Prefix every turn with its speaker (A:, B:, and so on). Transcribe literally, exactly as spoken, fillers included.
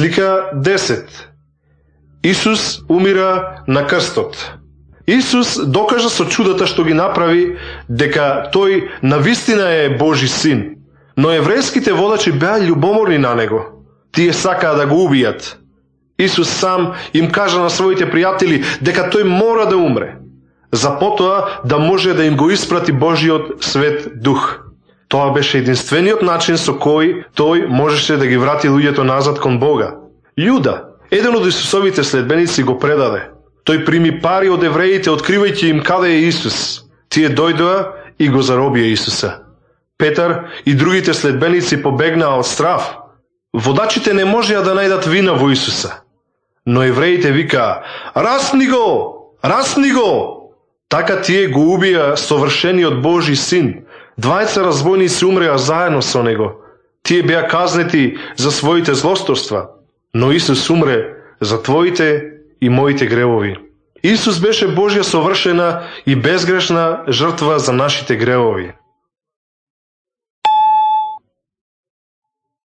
A: Слика десет. Исус умира на крстот. Исус докажа со чудата што ги направи дека тој навистина е Божи син, но еврејските водачи беа љубоморни на него. Тие сакаа да го убијат. Исус сам им кажа на своите пријатели дека тој мора да умре, за потоа да може да им го испрати Божиот свет дух. Тоа беше единствениот начин со кој тој можеше да ги врати луѓето назад кон Бога. Јуда, еден од Исусовите следбеници, го предаде. Тој прими пари од евреите, откривајќи им каде е Исус. Тие дојдоа и го заробија Исуса. Петар и другите следбеници побегнаа од страв. Водачите не можеа да најдат вина во Исуса. Но евреите викаа: "Расни го! Расни го!" Така тие го убија совршениот Божи син. Двајца разбойници умреа заедно со него. Тие беа казнети за своите злосторства, но Исус умре за твоите и моите гревови. Исус беше Божја совршена и безгрешна жртва за нашите гревови.